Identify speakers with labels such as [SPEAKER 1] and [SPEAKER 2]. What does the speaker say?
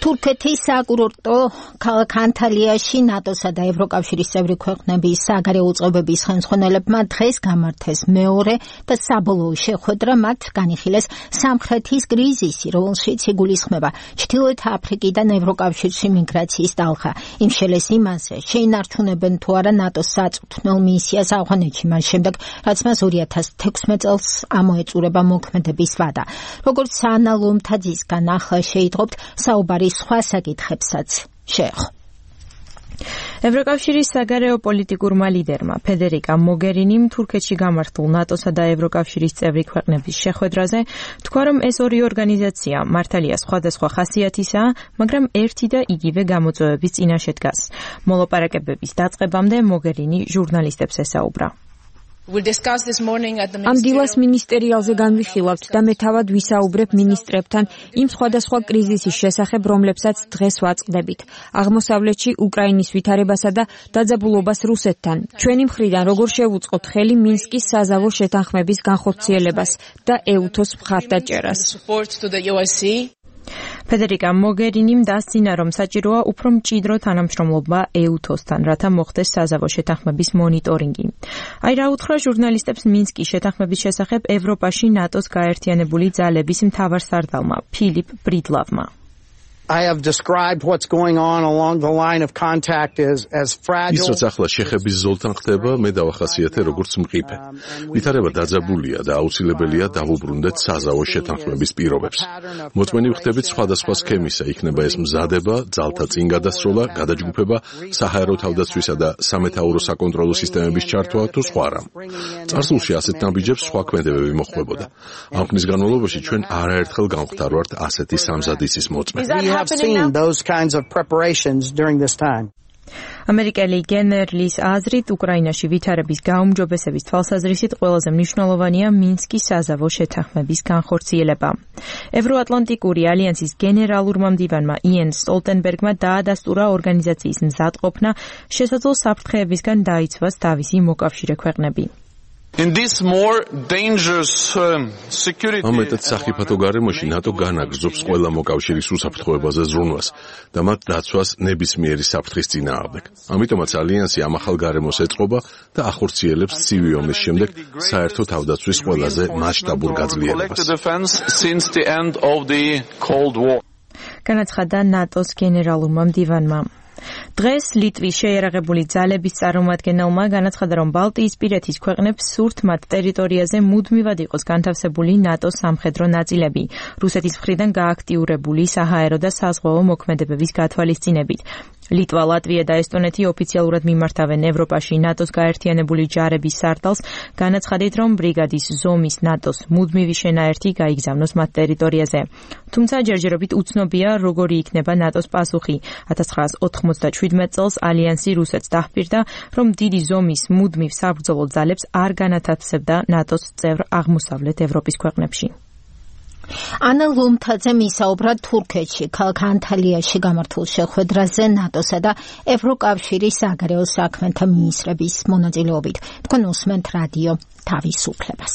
[SPEAKER 1] თურქეთის საკურორტო ქალაქ ანტალიაში ნატოსა და ევროკავშირის წევრი ქვეყნების საგარეო უწყებების ხელმძღვანელებმა დღეს გამართეს მეორე და საბოლოო შეხვედრა, მათ განიხილეს სამხრეთის კრიზისი, რომელშიც იგულისხმება ჩრდილოეთ აფრიკიდან ევროკავშირში მიგრაციის ტალღა. იმ შელეს იმაზე შეინარჩუნებენ თუ არა ნატოს საწვრთნელ მისიას ავღანეთში, მას შემდეგ, რაც მას 2016 წელს ამოეწურება მოქმედების ვადა. როგორც ანა ლომთაძისგან ახლა შეიტყობთ, საუბარი სხვა საკითხებსაც შეეხო.
[SPEAKER 2] ევროკავშირის საგარეო პოლიტიკურმა ლიდერმა ფედერიკა მოგერინიმ თურქეთში გამართულ ნატოსა და ევროკავშირის წევრი ქვეყნების შეხვედრაზე თქვა, რომ ეს ორი ორგანიზაცია მართალია სხვადასხვა ხასიათისაა, მაგრამ ერთი და იგივე გამოწვევების წინაშე დგას. მოლაპარაკებების დაწყებამდე მოგერინი ჟურნალისტებს ესაუბრა.
[SPEAKER 3] ამ დილას მინისტერიალზე განვიხილავთ და მე თავად ვისაუბრებ მინისტრებთან იმ სხვადასხვა კრიზისის შესახებ, რომლებსაც დღეს ვაწყდებით. აღმოსავლეთში უკრაინის ვითარებასა და დაძაბულობას რუსეთთან. ჩვენი მხრიდან როგორ შევუწყოთ ხელი მინსკის საზავო შეთანხმების განხორციელებას და ეუთოს მხარდაჭერას.
[SPEAKER 2] ფედერიკა მოგერინიმ დასცინა, რომ საჭიროა უფრო მჭიდრო თანამშრომლობა ეუთოსთან, რათა მოხდეს საზავო შეთანხმების მონიტორინგი. აი რა უთხრა ჟურნალისტებს მინსკის შეთანხმების შესახებ ევროპაში ნატოს გაერთიანებული ძალების მთავარსარდალმა ფილიპ ბრიდლავმა.
[SPEAKER 4] I have described what's going on along the line of contact as fragile.
[SPEAKER 5] ის რაც ახლა შეხების ზოლთან ხდება, მე დავახასიათე როგორც მყიფე. ვითარება დაძაბულია და აუცილებელია დავუბრუნდეთ საზავო შეთანხმების პირობებს. მოწმენი ვხდებით სხვადასხვა სქემისა, იქნება ეს მზადება, ძალთა წინ გადასროლა, გადაჯგუფება, საჰაერო თავდაცვისა და სამეთაურო საკონტროლო სისტემების ჩართვა თუ სხვა რამ. წარსულში ასეთ ნაბიჯებს სხვა ქმედებები მოჰყვებოდა. ამ ხნის განმავლობაში ჩვენ არაერთხელ გამختარვართ ასეთი სამზადისის მოწმე.
[SPEAKER 4] have seen those kinds of preparations during this time.
[SPEAKER 2] ამერიკელი გენერლის აზრით, უკრაინაში ვითარების გაუმჯობესების თვალსაზრისით ყველაზე მნიშვნელოვანია მინსკის საზავო შეთანხმების განხორციელება. ევროატლანტიკური ალიანსის გენერალურმა მდივანმა იენ სტოლტენბერგმა დაადასტურა ორგანიზაციის მზადყოფნა, შესაძლო საფრთხეებისგან დაიცვას თავისი მოკავშირე ქვეყნები.
[SPEAKER 6] In this more dangerous security
[SPEAKER 5] ამ მეტად სახიფათო გარემოში ნატო განაგრძობს ყველა მოკავშირის უსაფრთხოებაზე ზრუნვას და მათ დაცვას ნებისმიერი საფრთხის წინააღმდეგ. ამიტომაც ალიანსი ამ ახალ გარემოს ეწყობა და ახორციელებს ცივი ომის შემდეგ საერთო თავდაცვის ყველაზე მასშტაბურ გაძლიერებას.
[SPEAKER 2] განაცხადა ნატოს გენერალურმა მდივანმა. დღეს ლიტვის შეიარაღებული ძალების წარმომადგენელმა განაცხადა, რომ ბალტიისპირეთის ქვეყნებს სურთ მათ ტერიტორიაზე მუდმივად იყოს განთავსებული ნატოს სამხედრო ნაწილები, რუსეთის მხრიდან გააქტიურებული საჰაერო და საზღვაო მოქმედებების გათვალისწინებით. ლიტვა, ლატვია და ესტონეთი ოფიციალურად მიმართავენ ევროპაში ნატოს გაერთიანებული ჯარების სარდალს, განაცხადით, რომ ბრიგადის ზომის ნატოს მუდმივი შენაერთი გაიგზავნოს მათ ტერიტორიაზე. თუმცა ჯერჯერობით უცნობია, როგორი იქნება ნატოს პასუხი. 1997 წელს ალიანსი რუსეთს დაჰპირდა, რომ დიდი ზომის მუდმივ საბრძოლო ძალებს არ განათავსებდა ნატოს წევრ აღმოსავლეთ ევროპის ქვეყნებში.
[SPEAKER 1] ანა ლომთაძემ ისაუბრა თურქეთში, ქალაქ ანტალიაში გამართულ შეხვედრაზე ნატოსა და ევროკავშირის საგარეო საქმეთა მინისტრების მონაწილეობით. თქვენ უსმენთ რადიო თავისუფლებას.